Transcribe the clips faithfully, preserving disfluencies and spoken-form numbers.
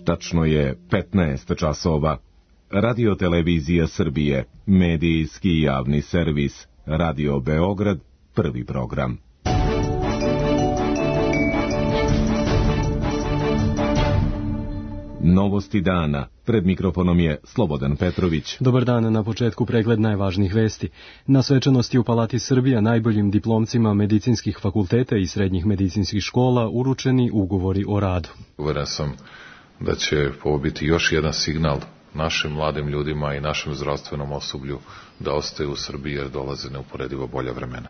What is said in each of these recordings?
Tačno je petnaest časova. Radio Televizija Srbije, medijski javni servis, Radio Beograd, prvi program. Novosti dana. Pred mikrofonom je Slobodan Petrović. Dobar dan, na početku pregled najvažnijih vesti. Na svečanosti u Palati Srbija najboljim diplomcima medicinskih fakulteta i srednjih medicinskih škola uručeni ugovori o radu. Uveren sam da će ovo biti još jedan signal našim mladim ljudima i našem zdravstvenom osoblju da ostaju u Srbiji jer dolaze neuporedivo bolja vremena.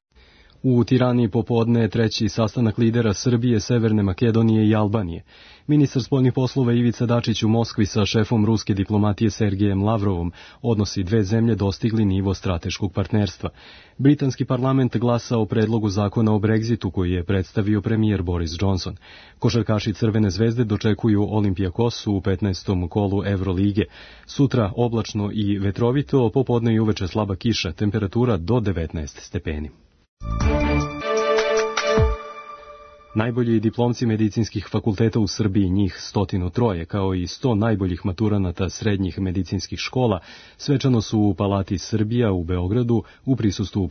U Tirani popodne je treći sastanak lidera Srbije, Severne Makedonije i Albanije. Ministar spoljnih poslova Ivica Dačić u Moskvi sa šefom ruske diplomatije Sergejem Lavrovom odnosi dve zemlje dostigli nivo strateškog partnerstva. Britanski parlament glasa o predlogu zakona o Brexitu koji je predstavio premijer Boris Johnson. Košarkaši Crvene zvezde dočekuju Olimpijakos u petnaestom kolu Evrolige. Sutra oblačno i vetrovito, popodne i uveče slaba kiša, temperatura do devetnaest stepeni. Najbolji diplomci medicinskih fakulteta u Srbiji, njih stotinu troje, kao i sto najboljih maturanata srednjih medicinskih škola, svečano su u Palati Srbija u Beogradu u prisustvu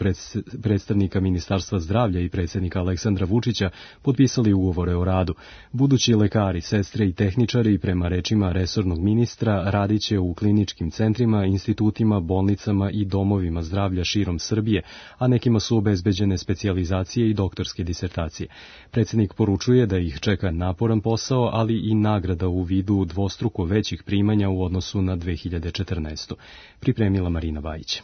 predstavnika Ministarstva zdravlja i predsjednika Aleksandra Vučića potpisali ugovore o radu. Budući lekari, sestre i tehničari, prema rečima resornog ministra, radiće u kliničkim centrima, institutima, bolnicama i domovima zdravlja širom Srbije, a nekima su obezbeđene specijalizacije i doktorske disertacije. Predsjednik poručuje da ih čeka naporan posao, ali i nagrada u vidu dvostruko većih primanja u odnosu na dve hiljade četrnaestu. Pripremila Marina Vajić.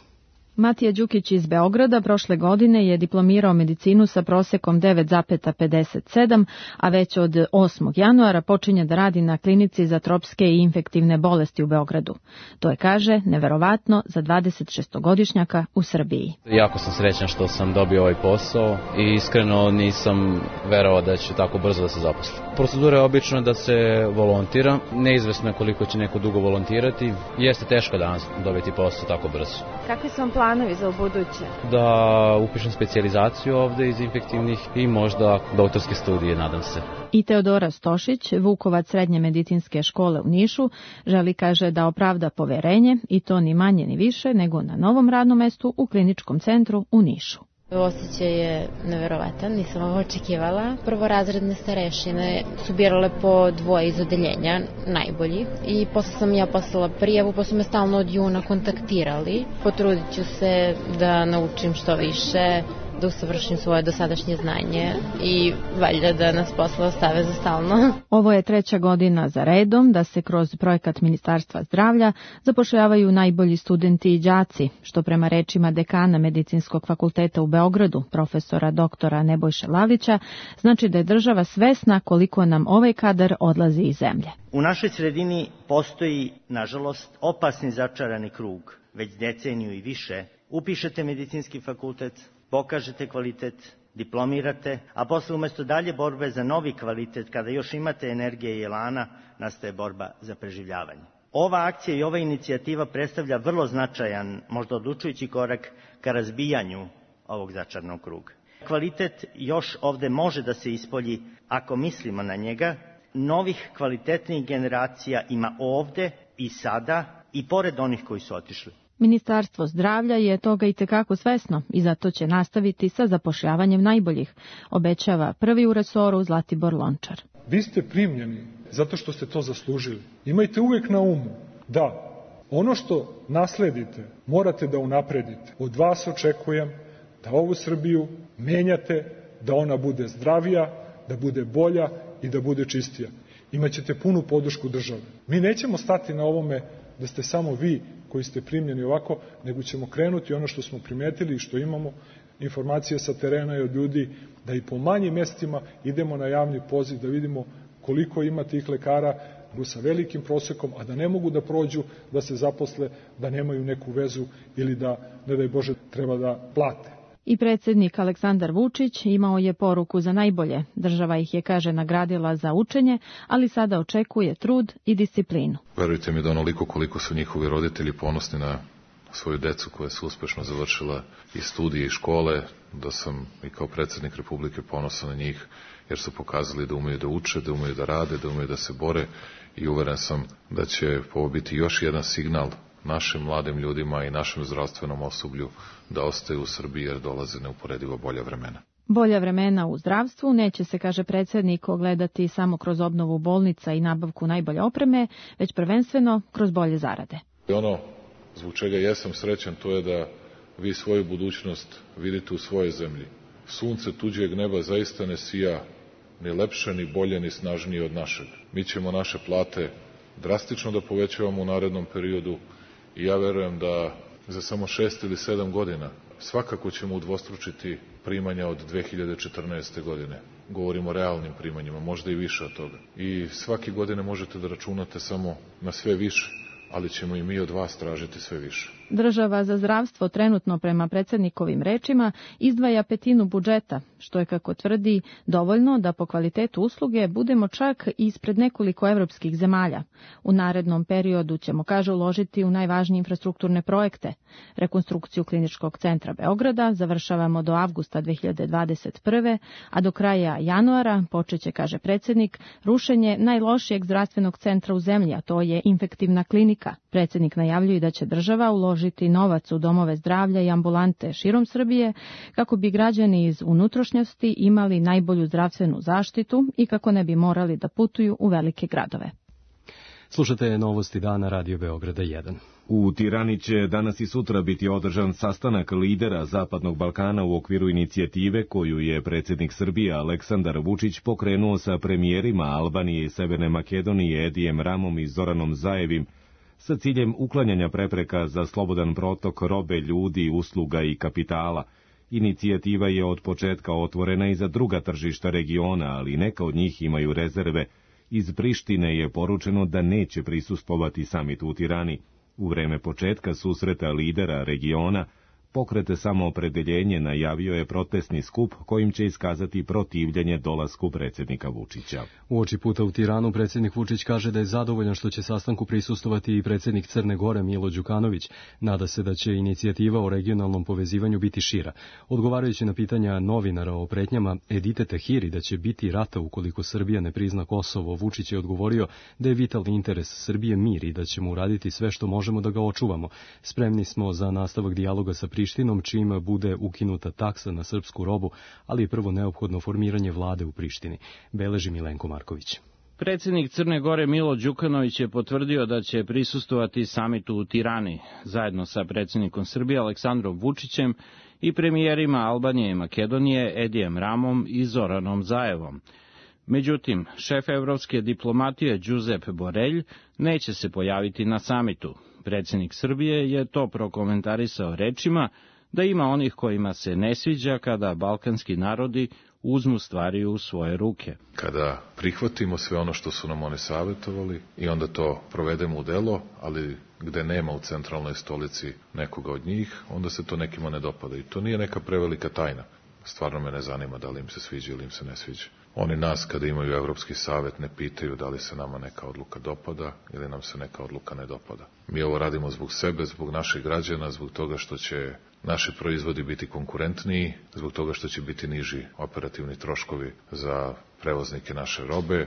Matija Đukić iz Beograda prošle godine je diplomirao medicinu sa prosekom devet zarez pedeset sedam, a već od osmog januara počinje da radi na klinici za tropske i infektivne bolesti u Beogradu. To je, kaže, neverovatno za dvadesetšestogodišnjaka u Srbiji. Jako sam srećan što sam dobio ovaj posao i iskreno nisam verovao da će tako brzo da se zaposli. Procedura je obično da se volontira, neizvesno je koliko će neko dugo volontirati, jeste teško danas dobiti posao tako brzo. Kakvi su vam planovi za ubuduće? Da upišem specijalizaciju ovde iz infektivnih i možda doktorske studije, nadam se. I Teodora Stošić, vukovac srednje medicinske škole u Nišu, želi, kaže, da opravda poverenje i to ni manje ni više nego na novom radnom mestu u kliničkom centru u Nišu. Osjećaj je neverovatan, nisam ovo očekivala. Prvorazredne starešine su birale po dvoje iz odeljenja, najbolji. I posle sam ja poslala prijavu, pa su me stalno od juna kontaktirali. Potrudit ću se da naučim što više, da usavršim svoje dosadašnje znanje i valjda da nas posle ostave za stalno. Ovo je treća godina za redom da se kroz projekat Ministarstva zdravlja zapošljavaju najbolji studenti i đaci, što prema rečima dekana Medicinskog fakulteta u Beogradu, profesora doktora Nebojše Lalića, znači da je država svesna koliko nam ovaj kadar odlazi iz zemlje. U našoj sredini postoji, nažalost, opasni začarani krug. Već deceniju i više upišete medicinski fakultet, pokažete kvalitet, diplomirate, a posle umesto dalje borbe za novi kvalitet, kada još imate energije i elana, nastaje borba za preživljavanje. Ova akcija i ova inicijativa predstavlja vrlo značajan, možda odlučujući korak ka razbijanju ovog začarnog kruga. Kvalitet još ovde može da se ispolji ako mislimo na njega. Novih kvalitetnih generacija ima ovde i sada i pored onih koji su otišli. Ministarstvo zdravlja je toga i tekako svesno i zato će nastaviti sa zapošljavanjem najboljih, obećava prvi u resoru Zlatibor Lončar. Vi ste primljeni zato što ste to zaslužili. Imajte uvek na umu da ono što nasledite morate da unapredite. Od vas očekujem da ovu Srbiju menjate, da ona bude zdravija, da bude bolja i da bude čistija. Imaćete punu podršku države. Mi nećemo stati na ovome da ste samo vi koji ste primljeni ovako, nego ćemo krenuti ono što smo primetili i što imamo informacije sa terena i od ljudi, da i po manjim mestima idemo na javni poziv, da vidimo koliko ima tih lekara sa velikim prosekom, a da ne mogu da prođu, da se zaposle, da nemaju neku vezu ili da, ne daj Bože, treba da plate. I predsjednik Aleksandar Vučić imao je poruku za najbolje. Država ih je, kaže, nagradila za učenje, ali sada očekuje trud i disciplinu. Verujte mi da onoliko koliko su njihovi roditelji ponosni na svoju decu koja su uspešno završila i studije i škole, da sam i kao predsjednik Republike ponosan na njih jer su pokazali da umeju da uče, da umeju da rade, da umeju da se bore i uveren sam da će ovo biti još jedan signal našim mladim ljudima i našem zdravstvenom osoblju da ostaju u Srbiji jer dolaze neuporedivo bolja vremena. Bolja vremena u zdravstvu neće se, kaže predsjednik, ogledati samo kroz obnovu bolnica i nabavku najbolje opreme, već prvenstveno kroz bolje zarade. Ono zbog čega jesam srećan to je da vi svoju budućnost vidite u svojoj zemlji. Sunce tuđeg neba zaista ne sija ni lepše, ni bolje, ni snažnije od našeg. Mi ćemo naše plate drastično da povećavamo u narednom periodu i ja verujem da za samo šest ili sedam godina svakako ćemo udvostručiti primanja od dve hiljade četrnaeste. godine. Govorimo o realnim primanjima, možda i više od toga. I svake godine možete da računate samo na sve više, ali ćemo i mi od vas tražiti sve više. Država za zdravstvo trenutno, prema predsjednikovim rečima, izdvaja petinu budžeta, što je, kako tvrdi, dovoljno da po kvalitetu usluge budemo čak ispred nekoliko evropskih zemalja. U narednom periodu ćemo, kaže, uložiti u najvažnije infrastrukturne projekte. Rekonstrukciju Kliničkog centra Beograda završavamo do avgusta dve hiljade dvadeset prve. a do kraja januara počeće, kaže predsjednik, rušenje najlošijeg zdravstvenog centra u zemlji, a to je infektivna klinika. Predsjednik najavljuje da će država uložiti novac u domove zdravlja i ambulante širom Srbije kako bi građani iz unutrašnjosti imali najbolju zdravstvenu zaštitu i kako ne bi morali da putuju u velike gradove. Slušate Novosti dana Radio Beograda jedan. U Tirani će danas i sutra biti održan sastanak lidera Zapadnog Balkana u okviru inicijative koju je predsjednik Srbije Aleksandar Vučić pokrenuo sa premijerima Albanije i Severne Makedonije Edijem Ramom i Zoranom Zaevim sa ciljem uklanjanja prepreka za slobodan protok robe, ljudi, usluga i kapitala. Inicijativa je od početka otvorena i za druga tržišta regiona, ali neka od njih imaju rezerve. Iz Prištine je poručeno da neće prisustvovati samitu u Tirani. U vreme početka susreta lidera regiona, Pokret Samoopredeljenje najavio je protestni skup kojim će iskazati protivljenje dolasku predsjednika Vučića. Uoči puta u Tiranu predsjednik Vučić kaže da je zadovoljan što će sastanku prisustovati i predsjednik Crne Gore Milo Đukanović. Nada se da će inicijativa o regionalnom povezivanju biti šira. Odgovarajući na pitanja novinara o pretnjama Edite Tahiri da će biti rata ukoliko Srbija ne prizna Kosovo, Vučić je odgovorio da je vitalni interes Srbije mir i da ćemo uraditi sve što možemo da ga očuvamo. Spremni smo za nastavak dijaloga sa Prištinom, čim bude ukinuta taksa na srpsku robu, ali je prvo neophodno formiranje vlade u Prištini, beleži Milenko Marković. Predsjednik Crne Gore Milo Đukanović je potvrdio da će prisustvovati samitu u Tirani, zajedno sa predsjednikom Srbije Aleksandrom Vučićem i premijerima Albanije i Makedonije Edijem Ramom i Zoranom Zaevom. Međutim, šef evropske diplomatije Giuseppe Borrell neće se pojaviti na samitu. Predsjednik Srbije je to prokomentarisao rečima da ima onih kojima se ne sviđa kada balkanski narodi uzmu stvari u svoje ruke. Kada prihvatimo sve ono što su nam oni savjetovali i onda to provedemo u delo, ali gde nema u centralnoj stolici nekoga od njih, onda se to nekima ne dopada. I to nije neka prevelika tajna. Stvarno me ne zanima da li im se sviđa ili im se ne sviđa. Oni nas, kada imaju Evropski savjet, ne pitaju da li se nama neka odluka dopada ili nam se neka odluka ne dopada. Mi ovo radimo zbog sebe, zbog naših građana, zbog toga što će naši proizvodi biti konkurentniji, zbog toga što će biti niži operativni troškovi za prevoznike naše robe,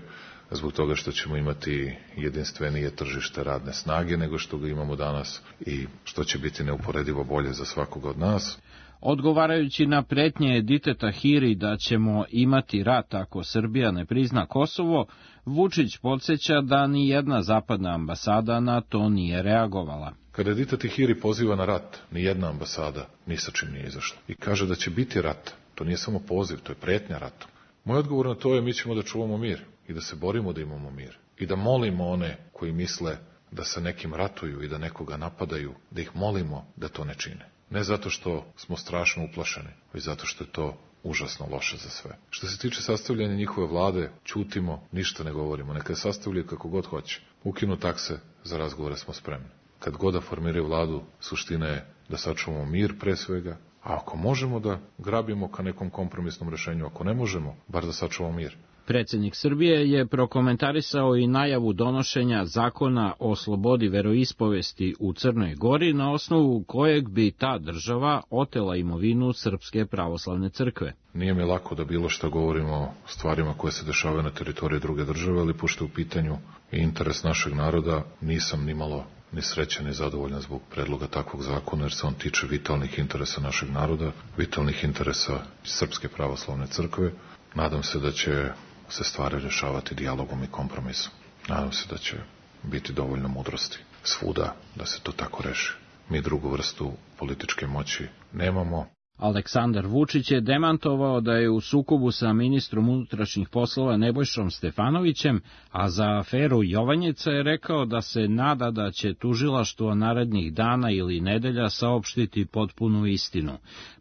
zbog toga što ćemo imati jedinstvenije tržište radne snage nego što ga imamo danas i što će biti neuporedivo bolje za svakoga od nas. Odgovarajući na pretnje Edite Tahiri da ćemo imati rat ako Srbija ne prizna Kosovo, Vučić podsjeća da ni jedna zapadna ambasada na to nije reagovala. Kada Edite Tahiri poziva na rat, ni jedna ambasada ni sa čim nije izašla. I kaže da će biti rat. To nije samo poziv, to je pretnja ratom. Moj odgovor na to je mi ćemo da čuvamo mir i da se borimo da imamo mir. I da molimo one koji misle da sa nekim ratuju i da nekoga napadaju, da ih molimo da to ne čine. Ne zato što smo strašno uplašeni, već zato što je to užasno loše za sve. Što se tiče sastavljanja njihove vlade, ćutimo, ništa ne govorimo, neka je sastavljaju kako god hoće. Ukinu takse, za razgovore smo spremni. Kad god da formiraju vladu, suština je da sačuvamo mir pre svega, a ako možemo da grabimo ka nekom kompromisnom rešenju, ako ne možemo, bar da sačuvamo mir. Predsjednik Srbije je prokomentarisao i najavu donošenja zakona o slobodi veroispovesti u Crnoj Gori, na osnovu kojeg bi ta država otela imovinu Srpske pravoslavne crkve. Nije mi lako da bilo što govorimo o stvarima koje se dešavaju na teritoriji druge države, ali pošto je u pitanju i interes našeg naroda, nisam ni malo ni srećan ni zadovoljan zbog predloga takvog zakona, jer se on tiče vitalnih interesa našeg naroda, vitalnih interesa Srpske pravoslavne crkve. Nadam se da će se stvari rješavati dijalogom i kompromisom. Nadam se da će biti dovoljno mudrosti svuda da se to tako reši. Mi drugu vrstu političke moći nemamo. Aleksandar Vučić je demantovao da je u sukobu sa ministrom unutrašnjih poslova Nebojšom Stefanovićem, a za aferu Jovanjica je rekao da se nada da će tužilaštvo narednih dana ili nedelja saopštiti potpunu istinu.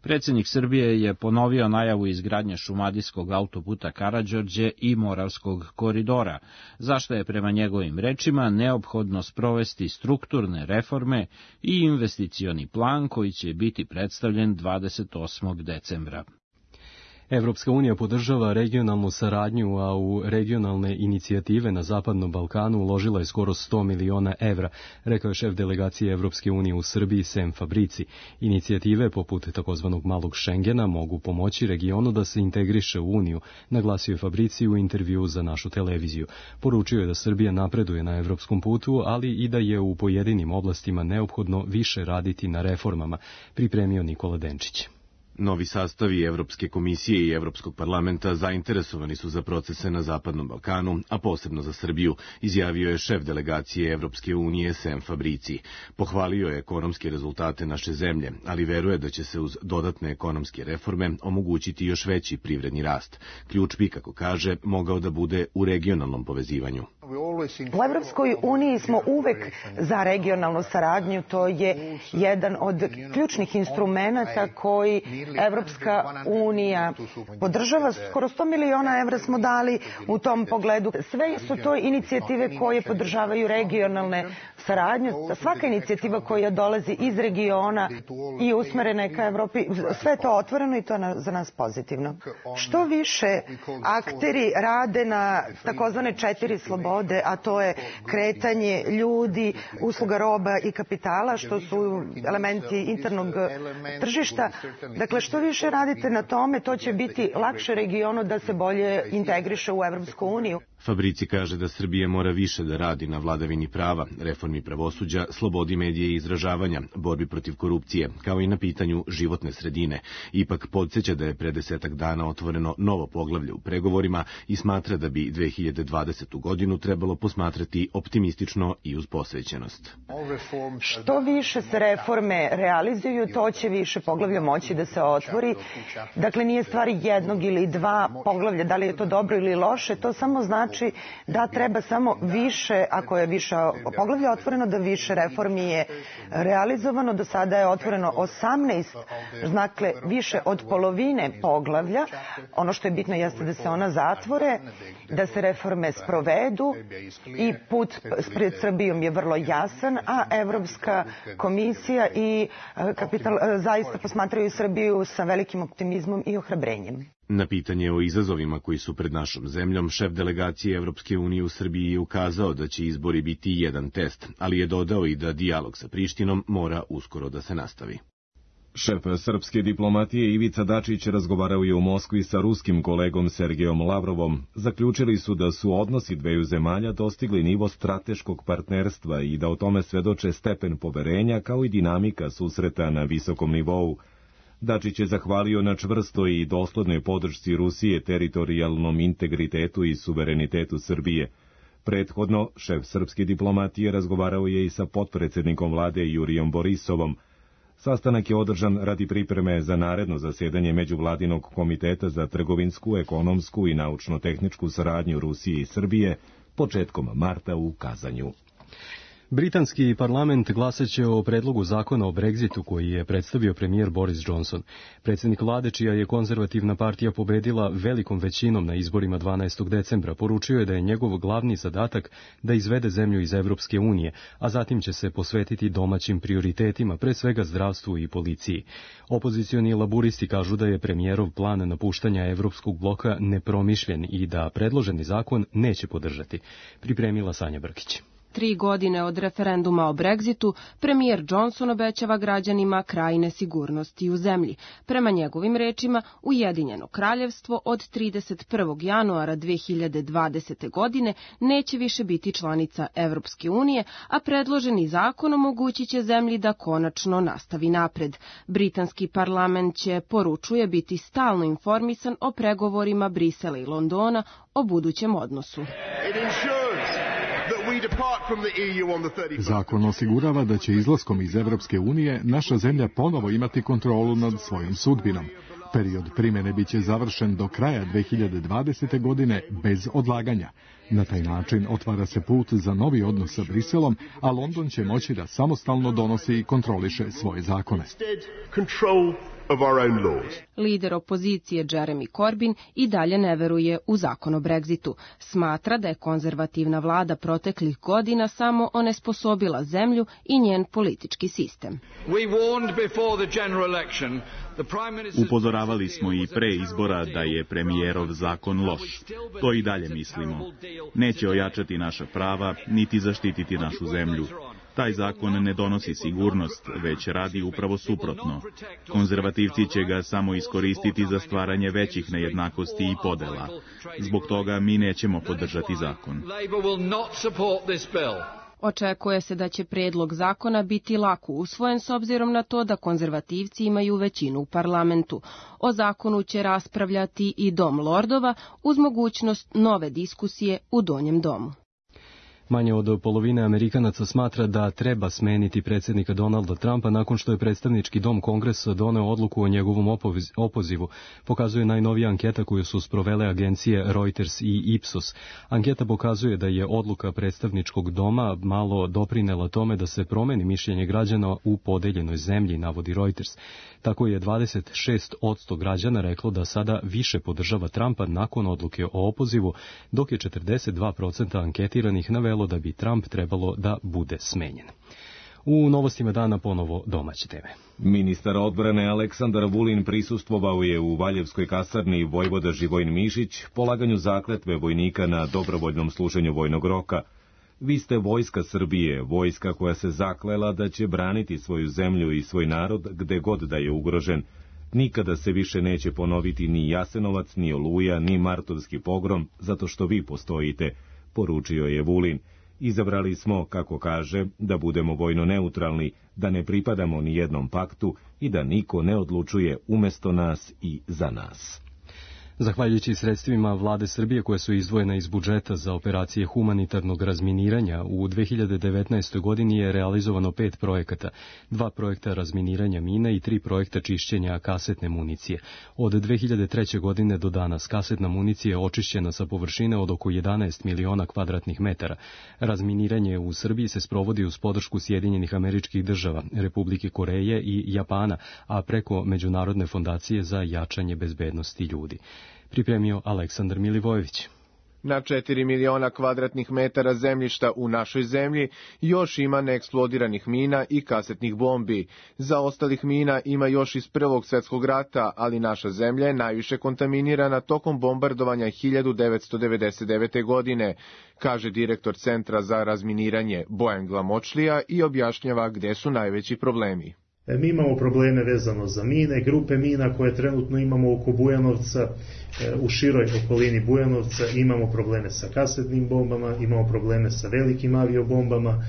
Predsjednik Srbije je ponovio najavu izgradnje šumadijskog autoputa Karađorđe i Moravskog koridora, zašto je prema njegovim rečima neophodno sprovesti strukturne reforme i investicioni plan koji će biti predstavljen dvadeset osmog decembra. Evropska unija podržava regionalnu saradnju, a u regionalne inicijative na Zapadnom Balkanu uložila je skoro sto miliona evra, rekao je šef delegacije Evropske unije u Srbiji Sem Fabrici. Inicijative poput takozvanog malog Šengena mogu pomoći regionu da se integriše u Uniju, naglasio je Fabrici u intervjuu za našu televiziju. Poručio je da Srbija napreduje na evropskom putu, ali i da je u pojedinim oblastima neophodno više raditi na reformama, pripremio Nikola Denčić. Novi sastavi Evropske komisije i Evropskog parlamenta zainteresovani su za procese na Zapadnom Balkanu, a posebno za Srbiju, izjavio je šef delegacije Evropske unije Sem Fabrici. Pohvalio je ekonomske rezultate naše zemlje, ali veruje da će se uz dodatne ekonomske reforme omogućiti još veći privredni rast. Ključ bi, kako kaže, mogao da bude u regionalnom povezivanju. U Evropskoj uniji smo uvek za regionalnu saradnju, to je jedan od ključnih instrumenata koji Evropska unija podržava. Skoro sto miliona evra smo dali u tom pogledu. Sve su to inicijative koje podržavaju regionalne saradnje. Svaka inicijativa koja dolazi iz regiona i usmerena je ka Evropi, sve je to otvoreno i to je za nas pozitivno. Što više akteri rade na takozvane četiri slobode, a to je kretanje ljudi, usluga, roba i kapitala, što su elementi internog tržišta. Dakle, što više radite na tome, to će biti lakše regionu da se bolje integriše u Evropsku uniju. Fabrici kaže da Srbija mora više da radi na vladavini prava, reformi pravosuđa, slobodi medija i izražavanja, borbi protiv korupcije, kao i na pitanju životne sredine. Ipak podsjeća da je pre desetak dana otvoreno novo poglavlje u pregovorima i smatra da bi dve hiljade dvadesetu godinu trebalo posmatrati optimistično i uz posvećenost. Što više se reforme realizuju, to će više poglavlja moći da se otvori. Dakle, nije stvar jednog ili dva poglavlja, da li je to dobro ili loše, to samo znači da treba samo više, ako je više poglavlja otvoreno, da više reformi je realizovano. Do sada je otvoreno osamnaest, dakle više od polovine poglavlja. Ono što je bitno jeste da se ona zatvore, da se reforme sprovedu i put pred Srbijom je vrlo jasan, a Evropska komisija i kapital zaista posmatraju Srbiju sa velikim optimizmom i ohrabrenjem. Na pitanje o izazovima koji su pred našom zemljom, šef delegacije Evropske unije u Srbiji je ukazao da će izbori biti jedan test, ali je dodao i da dijalog sa Prištinom mora uskoro da se nastavi. Šef srpske diplomatije Ivica Dačić razgovarao je u Moskvi sa ruskim kolegom Sergejom Lavrovom. Zaključili su da su odnosi dveju zemalja dostigli nivo strateškog partnerstva i da o tome svedoče stepen poverenja kao i dinamika susreta na visokom nivou. Dačić je zahvalio na čvrstoj i doslednoj podršci Rusije teritorijalnom integritetu i suverenitetu Srbije. Prethodno, šef srpske diplomatije razgovarao je i sa potpredsjednikom vlade Jurijom Borisovom. Sastanak je održan radi pripreme za naredno zasedanje Međuvladinog komiteta za trgovinsku, ekonomsku i naučno-tehničku saradnju Rusije i Srbije početkom marta u Kazanju. Britanski parlament glasaće o predlogu zakona o Brexitu koji je predstavio premijer Boris Johnson. Predsjednik vlade, čija je konzervativna partija pobedila velikom većinom na izborima dvanaestog decembra, poručio je da je njegov glavni zadatak da izvede zemlju iz Evropske unije, a zatim će se posvetiti domaćim prioritetima, pre svega zdravstvu i policiji. Opozicioni laburisti kažu da je premijerov plan napuštanja evropskog bloka nepromišljen i da predloženi zakon neće podržati. Pripremila Sanja Brkić. Tri godine od referenduma o Brexitu, premijer Johnson obećava građanima kraj nesigurnosti u zemlji. Prema njegovim rečima, Ujedinjeno kraljevstvo od trideset prvog januara dve hiljade dvadesete. godine neće više biti članica Evropske unije, a predloženi zakon omogućit će zemlji da konačno nastavi napred. Britanski parlament će, poručuje, biti stalno informisan o pregovorima Brisela i Londona o budućem odnosu. Zakon osigurava da će izlaskom iz Evropske unije naša zemlja ponovo imati kontrolu nad svojom sudbinom. Period primjene biće završen do kraja dve hiljade dvadesete. godine bez odlaganja. Na taj način otvara se put za novi odnos sa Briselom, a London će moći da samostalno donosi i kontroliše svoje zakone. Lider opozicije Jeremy Corbyn i dalje ne veruje u zakon o Brexitu. Smatra da je konzervativna vlada proteklih godina samo onesposobila zemlju i njen politički sistem. Upozoravali smo i pre izbora da je premijerov zakon loš. To i dalje mislimo. Neće ojačati naša prava, niti zaštititi našu zemlju. Taj zakon ne donosi sigurnost, već radi upravo suprotno. Konzervativci će ga samo iskoristiti za stvaranje većih nejednakosti i podela. Zbog toga mi nećemo podržati zakon. Očekuje se da će predlog zakona biti lako usvojen s obzirom na to da konzervativci imaju većinu u parlamentu. O zakonu će raspravljati i Dom lordova uz mogućnost nove diskusije u Donjem domu. Manje od polovine Amerikanaca smatra da treba smeniti predsjednika Donalda Trumpa nakon što je predstavnički dom Kongresa doneo odluku o njegovom opozivu, pokazuje najnovija anketa koju su sprovele agencije Reuters i Ipsos. Anketa pokazuje da je odluka predstavničkog doma malo doprinela tome da se promeni mišljenje građana u podeljenoj zemlji, navodi Reuters. Tako je dvadeset šest posto građana reklo da sada više podržava Trumpa nakon odluke o opozivu, dok je četrdeset dva posto anketiranih navelo da bi Trump trebalo da bude smenjen. U novostima dana ponovo domaće teme. Ministar odbrane Aleksandar Vulin prisustvovao je u Valjevskoj kasarni vojvoda Živojin Mišić polaganju zakletve vojnika na dobrovoljnom služenju vojnog roka. Vi ste vojska Srbije, vojska koja se zaklela da će braniti svoju zemlju i svoj narod gde god da je ugrožen. Nikada se više neće ponoviti ni Jasenovac, ni Oluja, ni Martovski pogrom, zato što vi postojite, poručio je Vulin. Izabrali smo, kako kaže, da budemo vojno neutralni, da ne pripadamo ni jednom paktu i da niko ne odlučuje umesto nas i za nas. Zahvaljujući sredstvima vlade Srbije koje su izdvojene iz budžeta za operacije humanitarnog razminiranja, u dve hiljade devetnaestoj. godini je realizovano pet projekata, dva projekta razminiranja mina i tri projekta čišćenja kasetne municije. Od dve hiljade treće. godine do danas kasetna municija je očišćena sa površine od oko jedanaest miliona kvadratnih metara. Razminiranje u Srbiji se sprovodi uz podršku Sjedinjenih Američkih Država, Republike Koreje i Japana, a preko Međunarodne fondacije za jačanje bezbednosti ljudi. Pripremio Aleksandar Milivojević. Na četiri miliona kvadratnih metara zemljišta u našoj zemlji još ima neeksplodiranih mina i kasetnih bombi. Za ostalih mina ima još iz Prvog svjetskog rata, ali naša zemlja je najviše kontaminirana tokom bombardovanja hiljadu devetsto devedeset devete. godine, kaže direktor Centra za razminiranje Bojan Glamočlija i objašnjava gde su najveći problemi. Mi imamo probleme vezano za mine, grupe mina koje trenutno imamo oko Bujanovca, u široj okolini Bujanovca, imamo probleme sa kasetnim bombama, imamo probleme sa velikim aviobombama,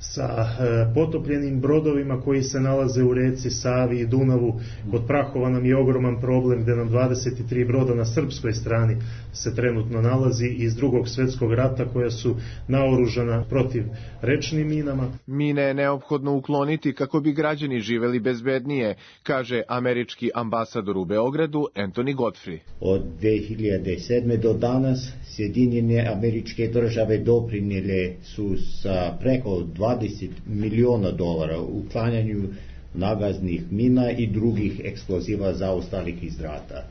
sa potopljenim brodovima koji se nalaze u reci Savi i Dunavu. Kod Prahova nam je ogroman problem gde nam dvadeset tri broda na srpskoj strani se trenutno nalazi iz Drugog svjetskog rata koja su naoružana protiv rečnim minama. Mine je neophodno ukloniti kako bi građani živeli bezbednije, kaže američki ambasador u Beogradu Anthony Godfrey. Od dve hiljade sedme. do danas Sjedinjene Američke Države doprinijele su sa preko dvadeset miliona dolara u uklanjanju nagaznih mina i drugih eksploziva zaostalih iz rata.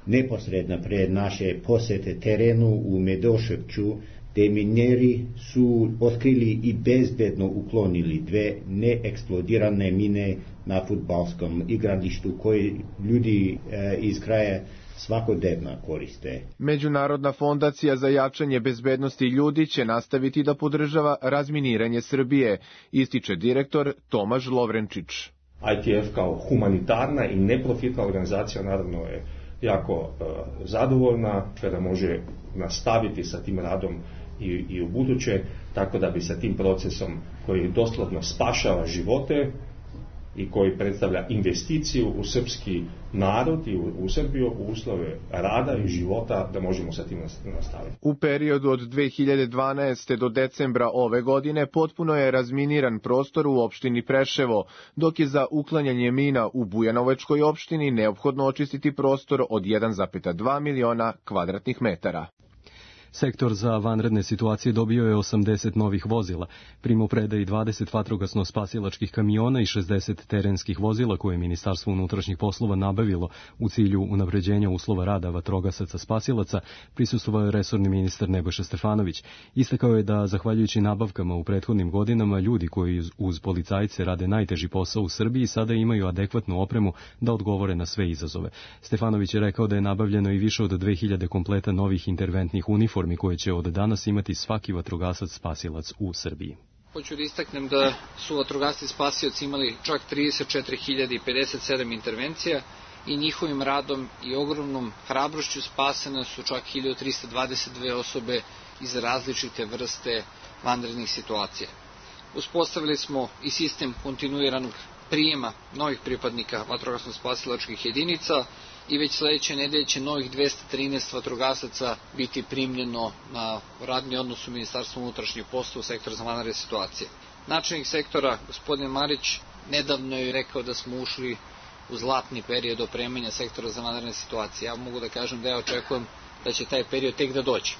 Neposredno pre naše posete terenu u Medoševću, demineri su otkrili i bezbedno uklonili dve neeksplodirane mine na fudbalskom igralištu koje ljudi e, iz kraja svakodnevno koriste. Međunarodna fondacija za jačanje bezbednosti ljudi će nastaviti da podržava razminiranje Srbije, ističe direktor Tomaž Lovrenčić. I T F kao humanitarna i neprofitna organizacija naravno je jako e, zadovoljna kada može nastaviti sa tim radom i, i u buduće, tako da bi sa tim procesom koji doslovno spašava živote i koji predstavlja investiciju u srpski narod i u, u Srbiju, u uslove rada i života, da možemo sa tim nastaviti. U periodu od dve hiljade dvanaeste. do decembra ove godine potpuno je razminiran prostor u opštini Preševo, dok je za uklanjanje mina u Bujanovačkoj opštini neophodno očistiti prostor od jedan zarez dva miliona kvadratnih metara. Sektor za vanredne situacije dobio je osamdeset novih vozila, primopredaji dvadeset vatrogasno-spasilačkih kamiona i šezdeset terenskih vozila koje je Ministarstvo unutrašnjih poslova nabavilo u cilju unapređenja uslova rada vatrogasaca spasilaca, prisustvovao je resorni ministar Nebojša Stefanović. Istakao je da, zahvaljujući nabavkama u prethodnim godinama, ljudi koji uz policajce rade najteži posao u Srbiji sada imaju adekvatnu opremu da odgovore na sve izazove. Stefanović je rekao da je nabavljeno i više od dve hiljade kompleta novih interventnih uniformi koje će od danas imati svaki vatrogasac spasilac u Srbiji. Hoću da istaknem da su vatrogasci spasioci imali čak trideset četiri hiljade pedeset sedam intervencija i njihovim radom i ogromnom hrabrošću spasene su čak hiljadu trista dvadeset dve osobe iz različite vrste vanrednih situacija. Uspostavili smo i sistem kontinuiranog prijema novih pripadnika vatrogasno-spasilačkih jedinica i već sledeće nedelje će novih dvesta trinaest vatrogasaca biti primljeno na radni odnos u Ministarstvu unutrašnjih poslova u sektor za vanredne situacije. Načelnik sektora, gospodin Marić, nedavno je rekao da smo ušli u zlatni period opremanja sektora za vanredne situacije. Ja mogu da kažem da ja očekujem da će taj period tek da dođe.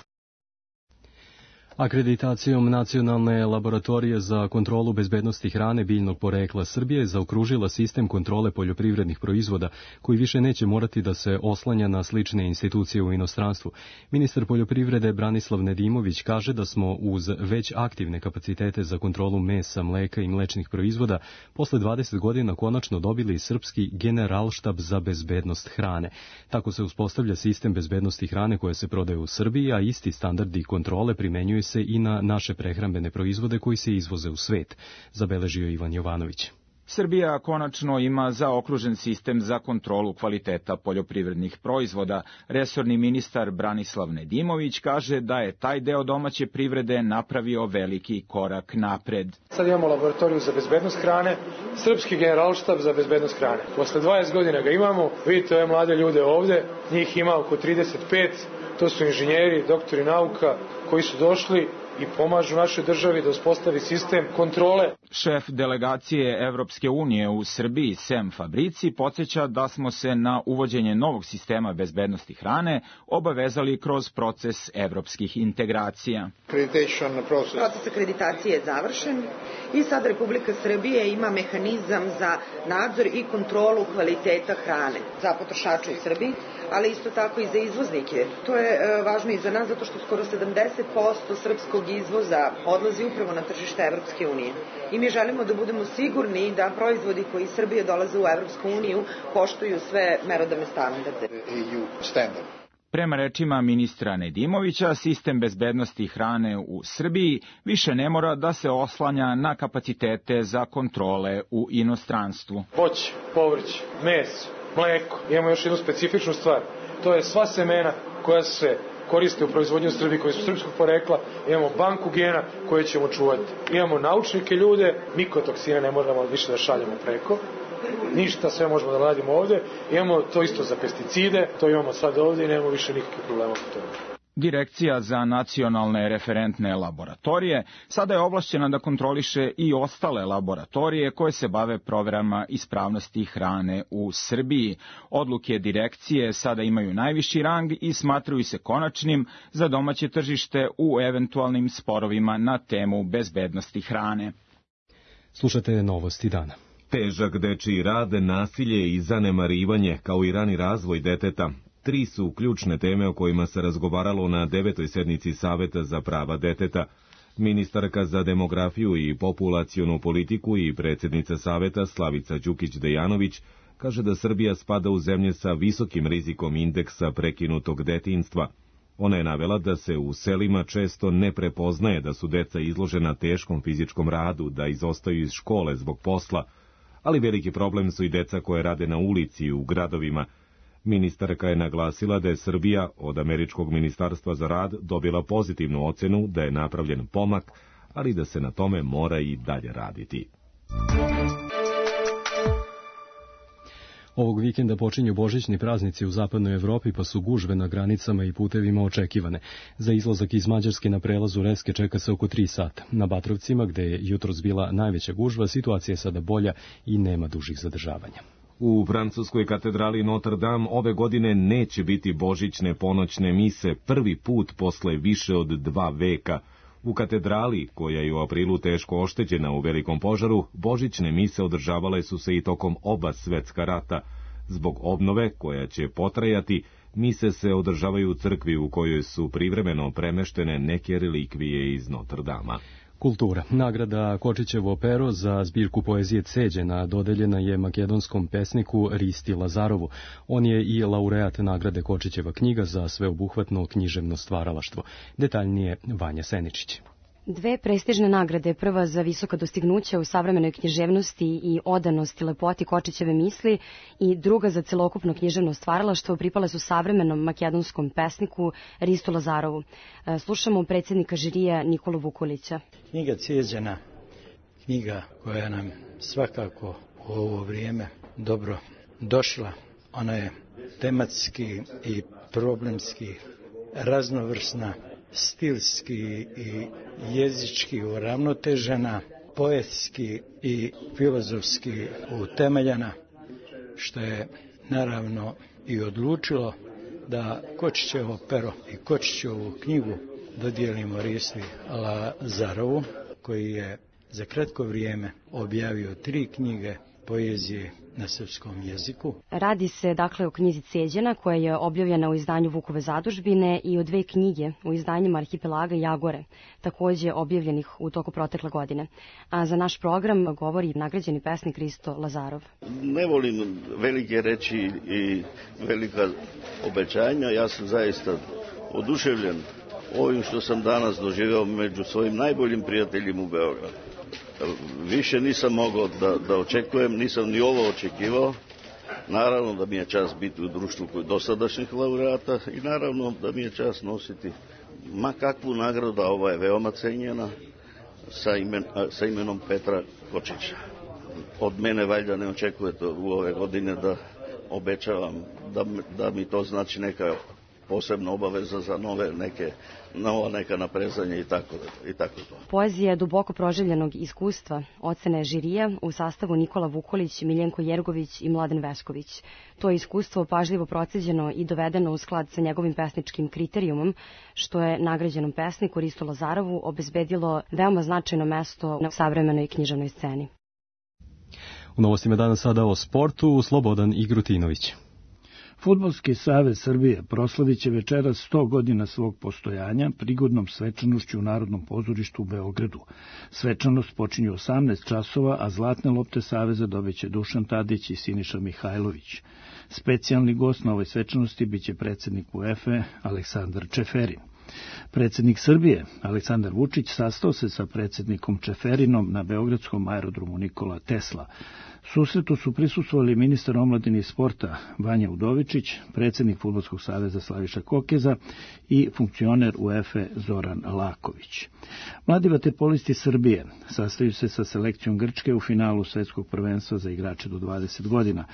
Akreditacijom Nacionalne laboratorije za kontrolu bezbednosti hrane biljnog porekla Srbije zaokružila sistem kontrole poljoprivrednih proizvoda koji više neće morati da se oslanja na slične institucije u inostranstvu. Ministar poljoprivrede Branislav Nedimović kaže da smo uz već aktivne kapacitete za kontrolu mesa, mleka i mlečnih proizvoda posle dvadeset godina konačno dobili srpski Generalštab za bezbednost hrane. Tako se uspostavlja sistem bezbednosti hrane koja se prodaje u Srbiji, a isti standardi kontrole primenjuju se i na naše prehrambene proizvode koji se izvoze u svet, zabeležio Ivan Jovanović. Srbija konačno ima zaokružen sistem za kontrolu kvaliteta poljoprivrednih proizvoda. Resorni ministar Branislav Nedimović kaže da je taj deo domaće privrede napravio veliki korak napred. Sad imamo laboratoriju za bezbednost hrane, srpski generalštab za bezbednost hrane. Posle dvadeset godina ga imamo, vidite ove mlade ljude ovde, njih ima oko trideset pet, to su inženjeri, doktori nauka koji su došli i pomažu našoj državi da uspostavi sistem kontrole. Šef delegacije Evropske unije u Srbiji, Sem Fabrici, podsjeća da smo se na uvođenje novog sistema bezbednosti hrane obavezali kroz proces evropskih integracija. Proces akreditacije je završen i sad Republika Srbije ima mehanizam za nadzor i kontrolu kvaliteta hrane za potrošače u Srbiji, ali isto tako i za izvoznike. To je e, važno i za nas zato što skoro sedamdeset posto srpskog izvoza odlazi upravo na tržište Evropske unije. I mi želimo da budemo sigurni da proizvodi koji iz Srbije dolaze u Evropsku uniju poštuju sve merodavne standarde. Prema rečima ministra Nedimovića, sistem bezbednosti hrane u Srbiji više ne mora da se oslanja na kapacitete za kontrole u inostranstvu. Voće, povrće, meso, mleko. Imamo još jednu specifičnu stvar. To je sva semena koja se koriste u proizvodnju u Srbiji, koji su srpskog porekla. Imamo banku gena koje ćemo čuvati. Imamo naučnike ljude, mikotoksine ne moramo više da šaljemo preko. Ništa, sve možemo da radimo ovde. Imamo to isto za pesticide, to imamo sad ovde i nemamo više nikakve problema po tome. Direkcija za nacionalne referentne laboratorije sada je ovlašćena da kontroliše i ostale laboratorije koje se bave proverama ispravnosti hrane u Srbiji. Odluke direkcije sada imaju najviši rang i smatraju se konačnim za domaće tržište u eventualnim sporovima na temu bezbednosti hrane. Slušate novosti dana. Težak dečiji rad, nasilje i zanemarivanje, kao i rani razvoj deteta. Tri su ključne teme o kojima se razgovaralo na devetoj sednici Saveta za prava deteta. Ministarka za demografiju i populacionu politiku i predsjednica Saveta Slavica Đukić-Dejanović kaže da Srbija spada u zemlje sa visokim rizikom indeksa prekinutog detinjstva. Ona je navela da se u selima često ne prepoznaje da su deca izložena teškom fizičkom radu, da izostaju iz škole zbog posla, ali veliki problem su i deca koje rade na ulici u gradovima. Ministarka je naglasila da je Srbija od Američkog ministarstva za rad dobila pozitivnu ocenu, da je napravljen pomak, ali da se na tome mora i dalje raditi. Ovog vikenda počinju božićni praznici u zapadnoj Evropi, pa su gužve na granicama i putevima očekivane. Za izlazak iz Mađarske na prelazu Reske čeka se oko tri sata. Na Batrovcima, gde je jutros bila najveća gužva, situacija je sada bolja i nema dužih zadržavanja. U francuskoj katedrali Notre Dame ove godine neće biti božićne ponoćne mise, prvi put posle više od dva veka. U katedrali, koja je u aprilu teško oštećena u velikom požaru, božićne mise održavale su se i tokom oba svetska rata. Zbog obnove, koja će potrajati, mise se održavaju u crkvi u kojoj su privremeno premeštene neke relikvije iz Notre Dama. Kultura. Nagrada Kočićevo pero za zbirku poezije Ceđena dodeljena je makedonskom pesniku Risti Lazarovu. On je i laureat nagrade Kočićeva knjiga za sveobuhvatno književno stvaralaštvo. Detaljnije Vanja Seničić. Dve prestižne nagrade, prva za visoka dostignuća u savremenoj književnosti i odanosti lepoti Kočićeve misli i druga za celokupno književno stvaralaštvo, pripale su savremenom makedonskom pesniku Ristu Lazarovu. Slušamo predsjednika žirija Nikolu Vukulića. Knjiga Ceđena, knjiga koja nam svakako u ovo vrijeme dobro došla. Ona je tematski i problemski raznovrsna, stilski i jezički uravnotežena, poetski i filozofski utemeljena, što je naravno i odlučilo da Kočićevo pero i Kočićevu knjigu dodijelimo Risti Lazarovu, koji je za kratko vrijeme objavio tri knjige poezije na srpskom jeziku. Radi se dakle o knjizi Ceđena, koja je objavljena u izdanju Vukove zadužbine, i o dve knjige u izdanjima Arhipelaga i Agore, takođe objavljenih u toku protekle godine. A za naš program govori nagrađeni pesnik Risto Lazarov. Ne volim velike reči i velika obećanja. Ja sam zaista oduševljen ovim što sam danas doživeo među svojim najboljim prijateljima u Beogradu. Više nisam mogao da, da očekujem, nisam ni ovo očekivao. Naravno da mi je čast biti u društvu kod dosadašnjih laureata i naravno da mi je čast nositi ma kakvu nagradu, a ova je veoma cenjena, sa, imen, sa imenom Petra Kočića. Od mene valjda ne očekujete u ove godine da obećavam da, da mi to znači neka posebna obaveza za nove neke, nova neka naprezanja i tako, i tako to. Poezija je duboko proživljenog iskustva, ocene žirija u sastavu Nikola Vukolić, Miljenko Jergović i Mladen Vesković. To je iskustvo pažljivo proceđeno i dovedeno u sklad sa njegovim pesničkim kriterijumom, što je nagrađenom pesniku Ristu Lazarovu obezbedilo veoma značajno mesto na savremenoj književnoj sceni. U novostima danas sada o sportu, Slobodan Igrutinović. Fudbalski savez Srbije proslavit će večeras sto godina svog postojanja prigodnom svečanošću u Narodnom pozorištu u Beogradu. Svečanost počinje u osamnaest časova, a zlatne lopte saveza dobiće Dušan Tadić i Siniša Mihajlović. Specijalni gost na ovoj svečanosti biće predsjednik UEFA Aleksandar Čeferin. Predsjednik Srbije, Aleksandar Vučić, sastao se sa predsjednikom Čeferinom na beogradskom aerodromu Nikola Tesla. Susretu su prisustvovali ministar omladine i sporta Vanja Udovičić, predsjednik Fudbalskog saveza Slaviša Kokeza i funkcioner UEFA Zoran Laković. Mladi vaterpolisti Srbije sastaju se sa selekcijom Grčke u finalu svetskog prvenstva za igrače do dvadeset godina.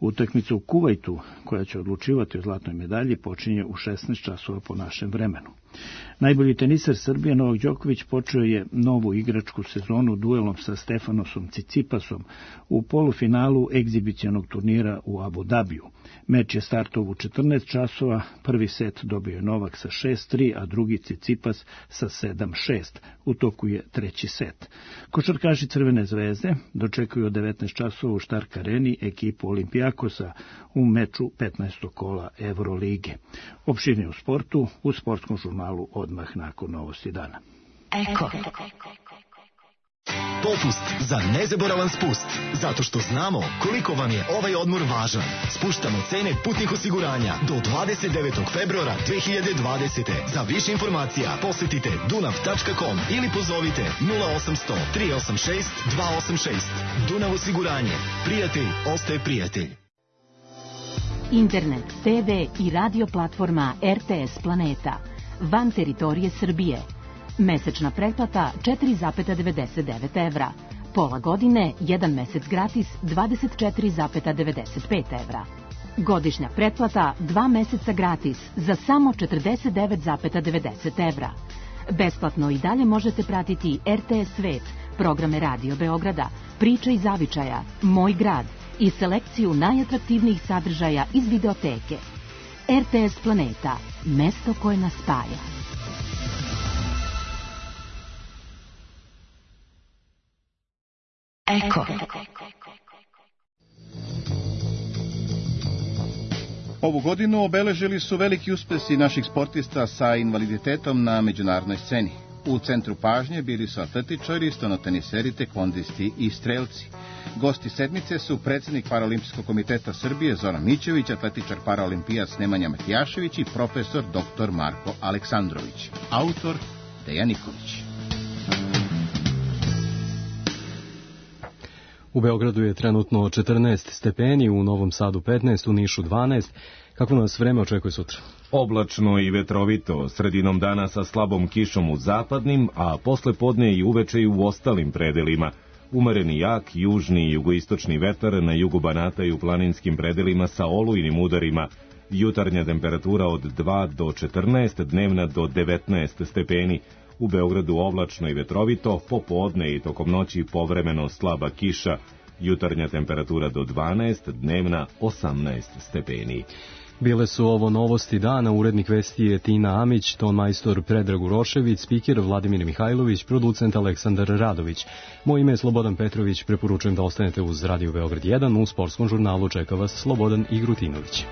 Utakmica u Kuvajtu, koja će odlučivati o zlatnoj medalji, počinje u šesnaest časova po našem vremenu. Najbolji teniser Srbije Novak Đoković počeo je novu igračku sezonu duelom sa Stefanosom Cicipasom u polufinalu egzibicionog turnira u Abu Dabiju. Meč je startov u četrnaest časova, prvi set dobio je Novak sa šest tri, a drugi Cicipas sa sedam šest. U toku je treći set. Košarkaši Crvene zvezde dočekuju od devetnaest časova u Štark areni ekipu Olimpijakosa u meču petnaestog kola Evrolige. Opširnije u sportu u sportskom žurnalu odmah nakon novosti dana. Eko. Popust za nezaboravan spust, zato što znamo koliko vam je ovaj odmor važan. Spuštamo cene putnih osiguranja do dvadeset devetog februara dve hiljade dvadesete. Za više informacija posjetite dunav tačka com ili pozovite nula osamsto tri osam šest dva osam šest. Dunav osiguranje. Prijatelj ostaje prijatelj. Internet, te ve i radio platforma er te es Planeta. Van teritorije Srbije. Mesečna pretplata četiri zarez devedeset devet evra. Pola godine, jedan mesec gratis dvadeset četiri zarez devedeset pet evra. Godišnja pretplata dva meseca gratis za samo četrdeset devet zarez devedeset evra. Besplatno i dalje možete pratiti er te es Svet, programe Radio Beograda, Priče iz zavičaja, Moj grad i selekciju najatraktivnijih sadržaja iz videoteke. er te es Planeta, mesto koje nas spaja. Eko. Ovu godinu obeležili su veliki uspesi naših sportista sa invaliditetom na međunarodnoj sceni. U centru pažnje bili su atletičari, stonoteniseri, tekvondisti i strelci. Gosti sedmice su predsjednik Paraolimpijskog komiteta Srbije Zoran Mićević, atletičar paraolimpijac Nemanja Matijašević i profesor doktor Marko Aleksandrović. Autor Dejan Nikolić. U Beogradu je trenutno četrnaest stepeni, u Novom Sadu petnaest, u Nišu dvanaest. Kako nas vreme očekuje sutra? Oblačno i vetrovito, sredinom dana sa slabom kišom u zapadnim, a posle podne i uveče i u ostalim predelima. Umereni jak, južni i jugoistočni vetar na jugu Banata i u planinskim predelima sa olujnim udarima. Jutarnja temperatura od dva do četrnaest, dnevna do devetnaest stepeni. U Beogradu oblačno i vetrovito, popodne i tokom noći povremeno slaba kiša. Jutarnja temperatura do dvanaest, dnevna osamnaest stepeni. Bile su ovo novosti dana, urednik vesti je Tina Amić, ton majstor Predrag Urošević, spiker Vladimir Mihajlović, producent Aleksandar Radović. Moje ime je Slobodan Petrović, preporučujem da ostanete uz Radio Beograd jedan, u sportskom žurnalu čeka vas Slobodan Igrutinović.